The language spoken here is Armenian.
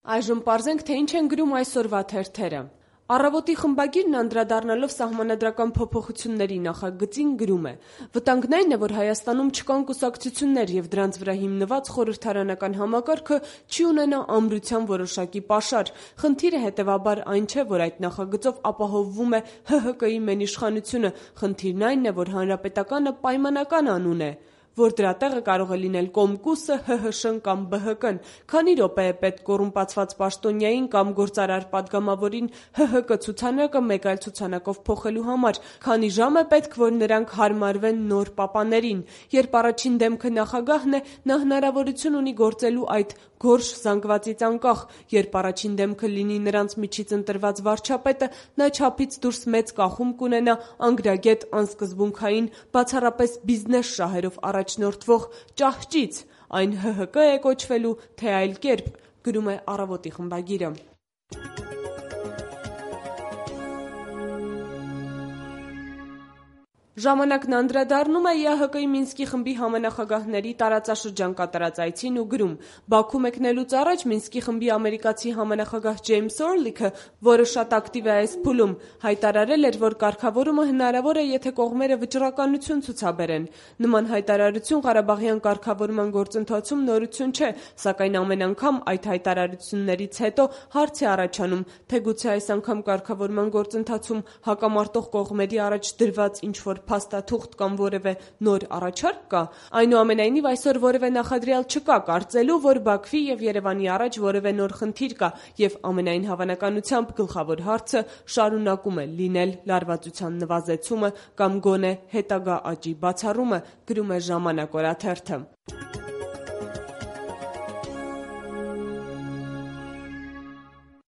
Այժմ պարզենք, թե ինչ են գրում այսօրվա թերթերը։ Առավոտի խմբագիրն անդրադառնալով սահմանադրական փոփոխությունների նախագծին գրում է. «Վտանգն այն է, որ Հայաստանում չկան կուսակցություններ և դրանց վրա հիմնված խորհրդարանական համակարգը չի ունենա ամրության որոշակի պաշար։ Խնդիրը հետևաբար այն չէ, որ այդ նախագծով ապահովվում է ՀՀԿ-ի մենիշխանությունը, խնդիրն այն է, որ հանրապետականը պայմանական անուն է, որ դրա տեղը կարող է լինել Կոմկուսը, ՀՀՇ-ն կամ ԲՀԿ-ն։ Քանի րոպե է պետք կոռումպացված պաշտոնյային կամ գործարար պատգամավորին ՀՀԿ ցուցանակը մեկ այլ ցուցանակով փոխելու համար, քանի ժամ է պետք, որ նրանք հարմարվեն նոր պապաներին։ Երբ առաջին դեմքը նախագահն է, նա հնարավորություն ունի գործելու այդ գորշ զանգվածից անկախ։ Երբ առաջին դեմքը լինի նրանց միջից ընտրված վարչապետը, նա չափից դուրս մեծ կախում կունենա անգրագետ անսկզբունքային, բացառապես բիզնես շահերով առաջնորդվող ճահճից։ Այն ՀՀԿ է կոչվելու, թե այլ կերպ», գրում է Առավոտի խմբագիրը։ Ժամանակն անդրադառնում է ԵԱՀԿ-ի Մինսկի խմբի համանախագահների տարածաշրջան կատարած այցին ու գրում. «Բաքու մեկնելուց առաջ Մինսկի խմբի ամերիկացի համանախագահ Ջեյմս Օրլիքը, որը շատ ակտիվ է այս փուլում, հայտարարել էր, որ կարգավորումը հնարավոր է, եթե կողմերը վճռականություն ցուցաբերեն։ Նման հայտարարություն Ղարաբաղյան կարգավորման գործընթացում նորություն չէ, սակայն ամեն անգամ այդ հայտարարություններից հետո հարց է առաջանում, թե գուցե այս անգամ կարգավորման գործընթացում հակամարտող կողմերի առաջ դրված ինչ-որ փաստաթուղթ կամ որևէ նոր առաջարկ կա։ Այնուամենայնիվ այսօր որևէ նախադրյալ չկա կարծելու, որ Բաքվի և Երևանի առաջ որևէ նոր խնդիր կա, և ամենայն հավանականությամբ գլխավոր հարցը շարունակում է լինել լարվածության նվազեցումը կամ գոնե հետագա աճի բացառումը», գրում է «Ժամանակ» օրաթերթը։